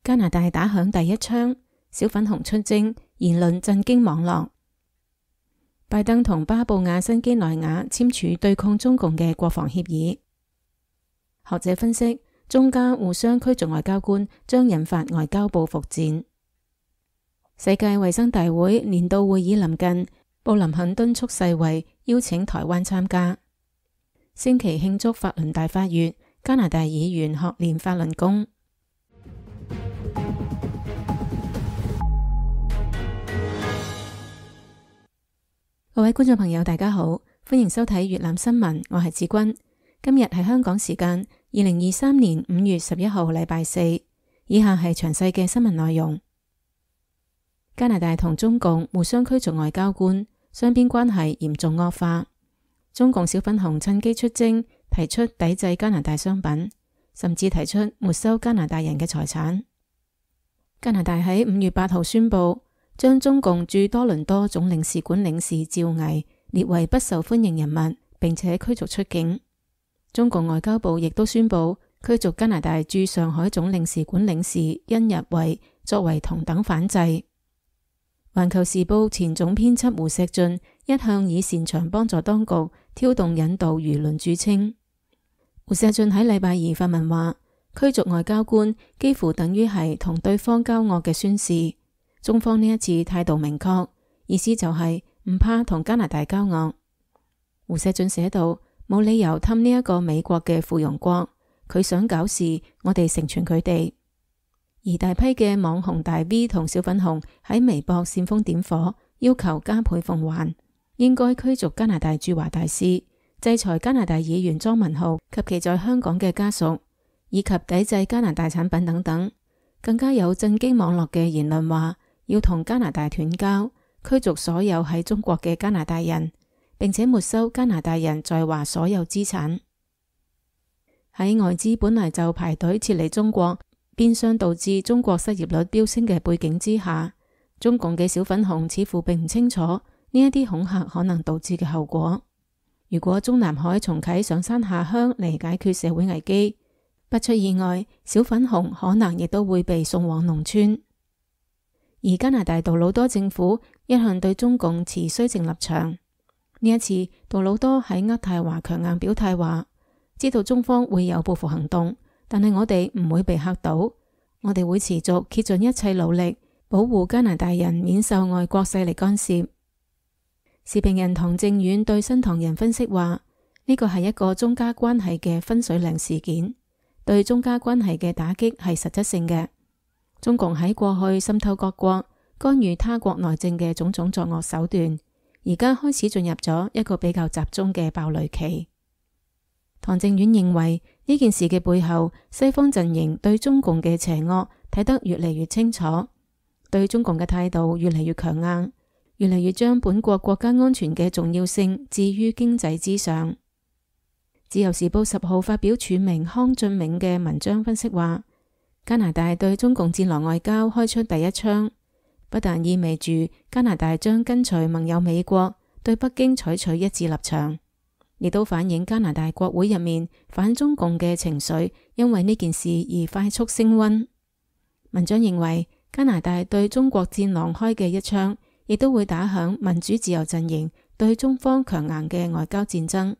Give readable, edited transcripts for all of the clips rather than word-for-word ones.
加拿大打響第一槍，小粉紅出征，言論震驚網絡。拜登同巴布亞新畿內亞簽署對抗中共嘅國防協議。學者分析，中加互相驅逐外交官將引發外交報復戰。世界衛生大會年度會議臨近，布林肯敦促世衛邀請台灣參加。星期慶祝法輪大法月，加拿大議員學練法輪功。各位觀眾朋友大家好，歡迎收睇粵覽新聞，我係子君。今日係香港時間2023年5月11號禮拜四，以下係詳細嘅新聞內容。加拿大同中共互相驅逐外交官，雙邊關係嚴重惡化。中共小粉紅趁機出征，提出抵制加拿大商品，甚至提出沒收加拿大人嘅財產。加拿大喺5月8號宣布，將中共駐多倫多總領事館領事趙毅列為不受歡迎人物，並且驅逐出境。中共外交部亦都宣布驅逐加拿大駐上海總領事館領事甄日慧，作為同等反制。環球時報前總編輯胡錫進一向以擅長幫助當局挑動引導輿論著稱。胡錫進喺禮拜二發文話，驅逐外交官幾乎等於係同對方交惡嘅宣示。中方呢一次態度明確，意思就係唔怕同加拿大交惡。胡錫進寫道，冇理由氹呢一個美國嘅附庸國，佢想搞事，我哋成全佢哋。而大批嘅網紅大 V 同小粉紅喺微博煽風點火，要求加倍奉還，應該驅逐加拿大駐華大使，制裁加拿大議員莊文浩及其在香港嘅家屬，以及抵制加拿大產品等等。更加有震驚網絡嘅言論話，要同加拿大斷交，驅逐所有喺中國嘅加拿大人，並且沒收加拿大人在華所有資產。喺外資本來就排隊撤離中國，變相導致中國失業率飆升嘅背景之下，中共嘅小粉紅似乎並唔清楚呢一啲恐嚇可能導致嘅後果。如果中南海重啟上山下鄉嚟解決社會危機，不出意外，小粉紅可能亦都會被送往農村。而加拿大杜魯多政府一向對中共持綏靖立場，呢一次杜魯多喺渥太華強硬表態話，知道中方會有報復行動，但係我哋唔會被嚇到，我哋會持續竭盡一切努力保護加拿大人免受外國勢力干涉。時評人唐正遠對新唐人分析話，呢個係一個中加關係嘅分水嶺事件，對中加關係嘅打擊係實質性嘅。中共喺過去滲透各國、干預他國內政嘅種種作惡手段，而家開始進入咗一個比較集中嘅爆雷期。唐正遠認為呢件事嘅背後，西方陣營對中共嘅邪惡睇得越嚟越清楚，對中共嘅態度越嚟越強硬，越嚟越將本國國家安全嘅重要性置於經濟之上。自由時報10號發表署名康俊銘嘅文章分析話，加拿大對中共戰狼外交開出第一槍，不但意味住加拿大將跟隨盟友美國對北京採取一致立場，亦都反映加拿大國會入面反中共嘅情緒因為呢件事而快速升溫。文章認為，加拿大對中國戰狼開嘅一槍，亦都會打響民主自由陣營對中方強硬嘅外交戰爭。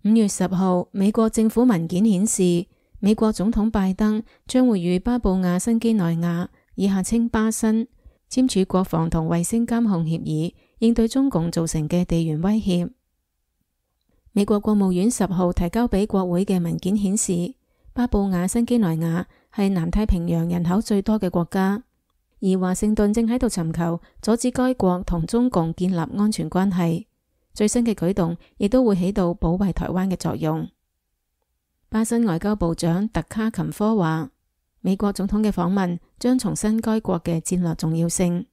5月10號，美國政府文件顯示，美國總統拜登將會與巴布亞新畿內亞以下稱巴新簽署國防同衛星監控協議，應對中共造成嘅地緣威脅。美國國務院10號提交俾國會嘅文件顯示，巴布亞新畿內亞係南太平洋人口最多嘅國家，而華盛頓正喺度尋求阻止該國同中共建立安全關係。最新嘅舉動亦都會起到保衛台灣嘅作用。巴新外交部長特卡琴科話，美國總統嘅訪問將重申該國嘅戰略重要性。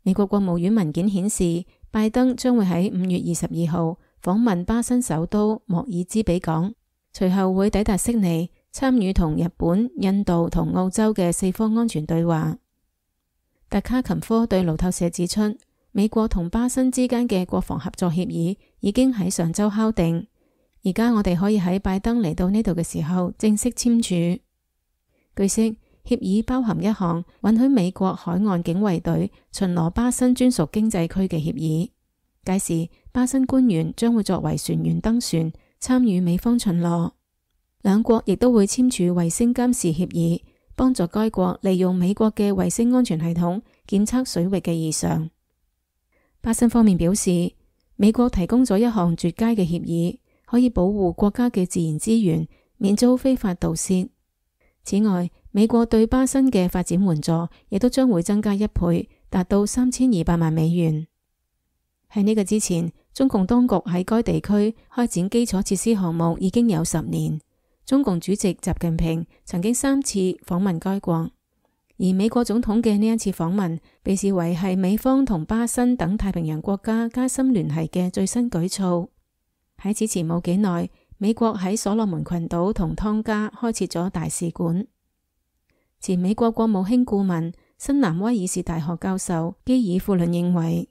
美國國務院文件顯示，拜登將會喺5月22號訪問巴新首都莫爾茲比港，隨後會抵達悉尼，參與同日本、印度同澳洲嘅四方安全對話。特卡琴科對路透社指出，美國同巴新之間嘅國防合作協議已經喺上週敲定，而家我哋可以喺拜登嚟到呢度嘅時候正式簽署。據悉，協議包含一項允許美國海岸警衛隊巡邏巴新專屬經濟區嘅協議，屆時巴新官員將會作為船員登船參與美方巡邏。兩國亦都會簽署衛星監視協議，幫助該國利用美國嘅衛星安全系統檢測水域嘅異常。巴新方面表示，美國提供咗一項絕佳嘅協議，可以保護國家嘅自然資源免遭非法盜竊。此外，美國對巴新嘅發展援助亦都將會增加1倍，達到3200萬美元。喺呢個之前，中共當局喺該地區開展基礎設施項目已經有10年。中共主席習近平曾經3次訪問該國，而美國總統嘅呢一次訪問被視為係美方同巴新等太平洋國家加深聯繫嘅最新舉措。喺此前冇幾耐，美國喺所羅門群島同湯加開設咗大使館。前美國國務卿顧問、新南威爾士大學教授基爾庫倫認為，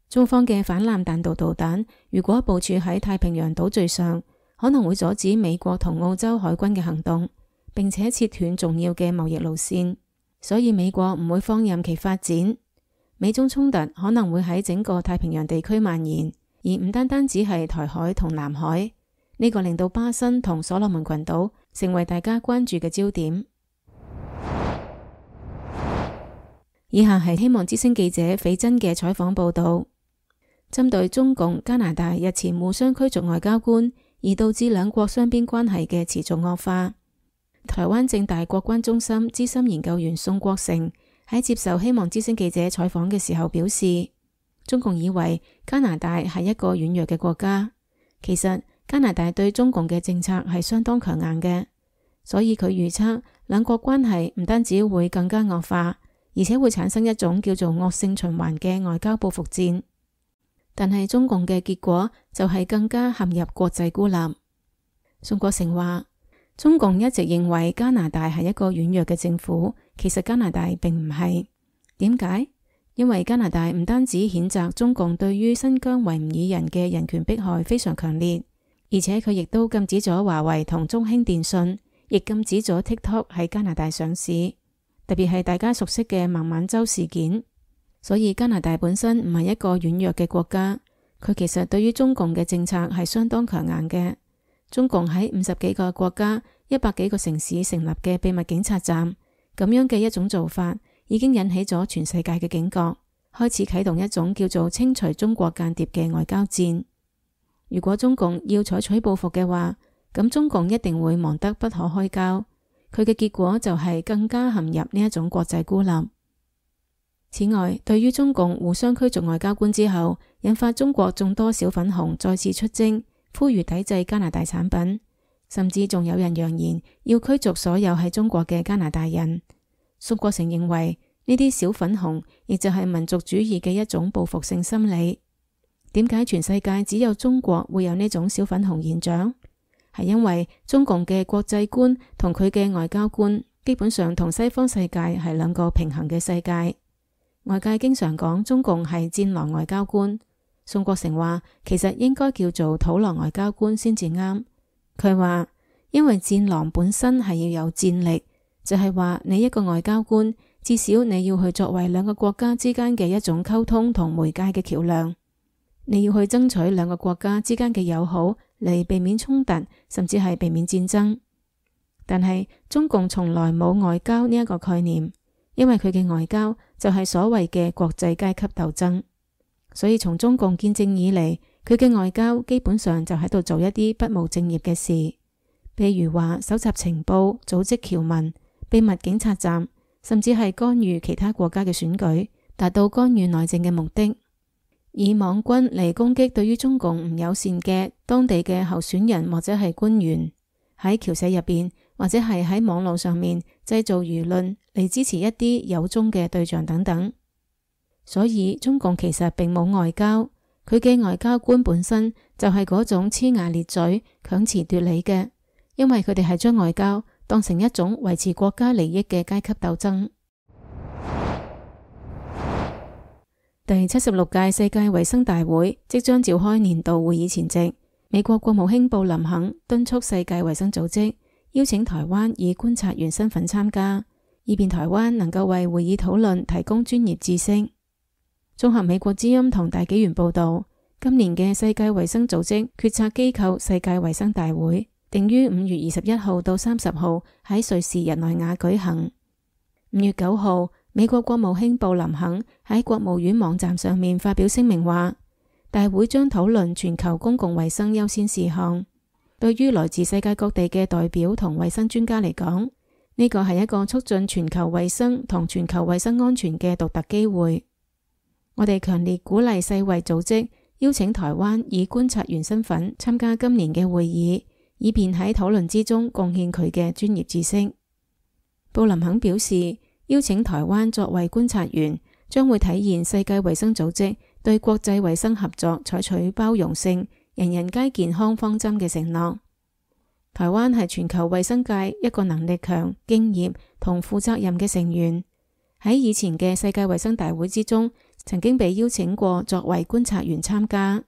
中方嘅反艦彈道導彈如果部署喺太平洋島嶼上，可能會阻止美國同澳洲海軍嘅行動，並且切斷重要嘅貿易路線，所以美國唔會放任其發展。美中衝突可能會喺整個太平洋地區蔓延，而唔單單只係台海同南海。呢個令到巴新同所羅門群島成為大家關注嘅焦點。以下係希望之聲記者斐真嘅採訪報道，針對中共、加拿大日前互相驅逐外交官，而導致兩國雙邊關係嘅持續惡化。台灣政大國關中心資深研究員宋國成喺接受希望之聲記者採訪嘅時候表示，中共以為加拿大係一個軟弱嘅國家，其實加拿大對中共嘅政策係相當強硬嘅，所以佢預測兩國關係唔單止會更加惡化，而且會產生一種叫做惡性循環嘅外交報復戰。但係中共嘅結果就係更加陷入國際孤立。宋國成話，中共一直認為加拿大係一個軟弱嘅政府，其實加拿大並唔係。點解？因為加拿大唔單止譴責中共對於新疆維吾爾人嘅人權迫害非常強烈，而且佢亦都禁止咗華為同中興電信，亦禁止咗 TikTok 喺加拿大上市，特別係大家熟悉嘅孟晚舟事件。所以加拿大本身唔係一個軟弱嘅國家，佢其實對於中共嘅政策係相當強硬嘅。中共喺50幾個國家、100幾個城市成立嘅秘密警察站，咁樣嘅一種做法，已經引起咗全世界嘅警覺，開始啟動一種叫做清除中國間諜嘅外交戰。如果中共要採取報復嘅話，咁中共一定會忙得不可開交，佢嘅結果就係更加陷入呢一種國際孤立。此外，對於中共互相驅逐外交官之後，引發中國眾多小粉紅再次出征，呼籲抵制加拿大產品，甚至仲有人揚言要驅逐所有喺中國嘅加拿大人。宋國成認為呢啲小粉紅亦就係民族主義嘅一種報復性心理。點解全世界只有中國會有呢種小粉紅現象？係因為中共嘅國際觀同佢嘅外交觀基本上同西方世界係兩個平衡嘅世界。外界經常講中共係戰狼外交官，宋國成話其實應該叫做土狼外交官先至啱。佢話因為戰狼本身係要有戰力，就係話你一個外交官至少你要去作為兩個國家之間嘅一種溝通同媒介嘅橋樑，你要去爭取兩個國家之間嘅友好嚟避免衝突，甚至係避免戰爭。但係中共從來冇外交呢一個概念，因為佢嘅外交就係所謂嘅國際階級鬥爭，所以從中共建政以嚟，佢嘅外交基本上就喺度做一啲不務正業嘅事，譬如話搜集情報、組織僑民、秘密警察站，甚至係干預其他國家嘅選舉，達到干預內政嘅目的，以網軍嚟攻擊對於中共唔友善嘅當地嘅候選人或者係官員，喺僑社入邊或者係喺網絡上面製造輿論嚟支持一啲有中嘅對象等等。所以中共其實並冇外交，佢嘅外交官本身就係嗰種齜牙咧嘴、強詞奪理嘅，因為佢哋係將外交當成一種維持國家利益嘅階級鬥爭。第76屆世界衛生大會即將召開年度會議前夕，美國國務卿布林肯敦促世界衛生組織邀請台灣以觀察員身份參加，以便台灣能夠為會議討論提供專業知識。綜合美國之音同大紀元報道，今年嘅世界衛生組織決策機構世界衛生大會定於5月21號到30號喺瑞士日內瓦舉行。5月9號，美國國務卿布林肯喺國務院網站上面發表聲明話，大會將討論全球公共衛生優先事項。對於來自世界各地嘅代表同衛生專家嚟講，呢個係一個促進全球衛生同全球衛生安全嘅獨特機會。我哋強烈鼓勵世衛組織邀請台灣以觀察員身份參加今年嘅會議，以便喺討論之中貢獻佢嘅專業知識。布林肯表示，邀請台灣作為觀察員，將會體現世界衛生組織對國際衛生合作採取包容性、人人皆健康方針嘅承諾。台灣係全球衛生界一個能力強、敬業同負責任嘅成員。喺以前嘅世界衛生大會之中，曾經被邀請過作為觀察員參加。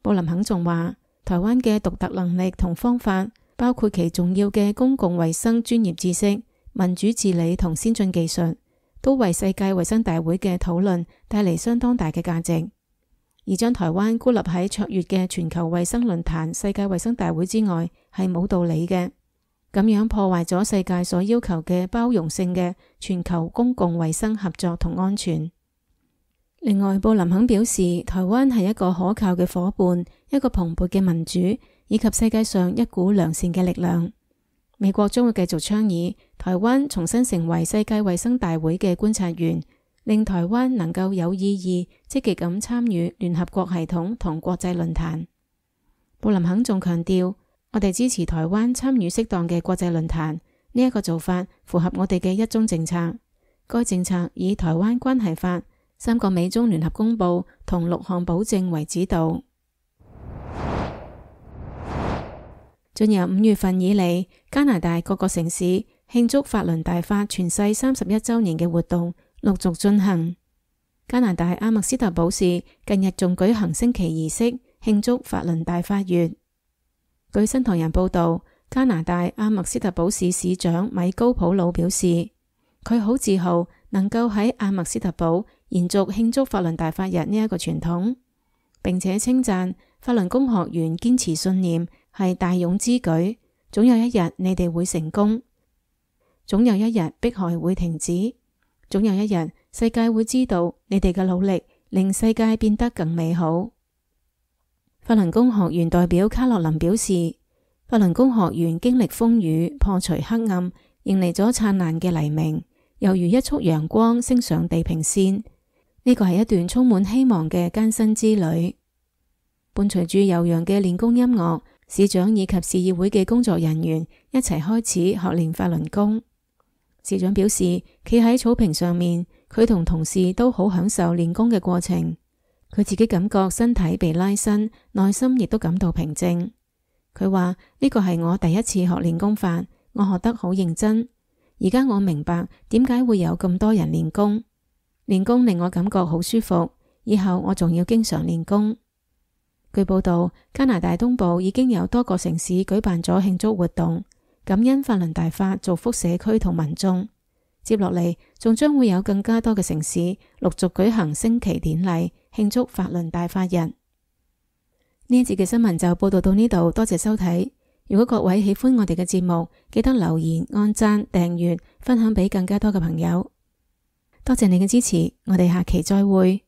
布林肯仲話，台灣嘅獨特能力同方法，包括其重要嘅公共衛生專業知識、民主治理同先進技術，都為世界衛生大會嘅討論帶嚟相當大嘅價值。而將台灣孤立喺卓越嘅全球衛生論壇世界衛生大會之外，係冇道理嘅。咁樣破壞咗世界所要求嘅包容性嘅全球公共衛生合作同安全。另外，布林肯表示，台灣係一個可靠嘅夥伴，一個蓬勃嘅民主，以及世界上一股良善嘅力量。美國將會繼續倡議台灣重新成為世界衛生大會嘅觀察員，令台灣能夠有意義、積極咁參與聯合國系統同國際論壇。布林肯仲強調，我哋支持台灣參與適當嘅國際論壇，呢一個做法符合我哋嘅一中政策。該政策以台灣關係法、3個美中聯合公報同6項保證為指導。進入5月份以嚟，加拿大各個城市慶祝法輪大法傳世31週年嘅活動陸續進行。加拿大阿默斯特堡市近日仲舉行升旗儀式，慶祝法輪大法月。據新唐人報道，加拿大阿默斯特堡市市長米高普魯表示，佢好自豪能夠喺阿默斯特堡延續慶祝法輪大法日呢一個傳統，並且稱讚法輪功學員堅持信念係大勇之舉，總有一日你哋會成功，總有一日迫害會停止，總有一日世界會知道你哋嘅努力令世界變得更美好。法輪功學員代表卡洛琳表示，法輪功學員經歷風雨，破除黑暗，迎嚟咗燦爛嘅黎明，猶如一束陽光升上地平線。呢個係一段充滿希望嘅艱辛之旅。伴隨住悠揚嘅練功音樂，市長以及市議會嘅工作人員一齊開始學練法輪功。市長表示，企喺草坪上面，佢同同事都好享受練功嘅過程。佢自己感覺身體被拉伸，內心亦都感到平靜。佢話，呢個係我第一次學練功法，我學得好認真。而家我明白點解會有咁多人練功。練功令我感覺好舒服，以後我仲要經常練功。據報道，加拿大東部已經有多個城市舉辦咗慶祝活動，感恩法輪大法造福社區同民眾。接落嚟，仲將會有更加多嘅城市陸續舉行升旗典禮，慶祝法輪大法日。呢一節嘅新聞就報道到呢度，多謝收睇。如果各位喜歡我哋嘅節目，記得留言、按讚、訂閱、分享俾更加多嘅朋友。多謝你嘅支持，我哋下期再會。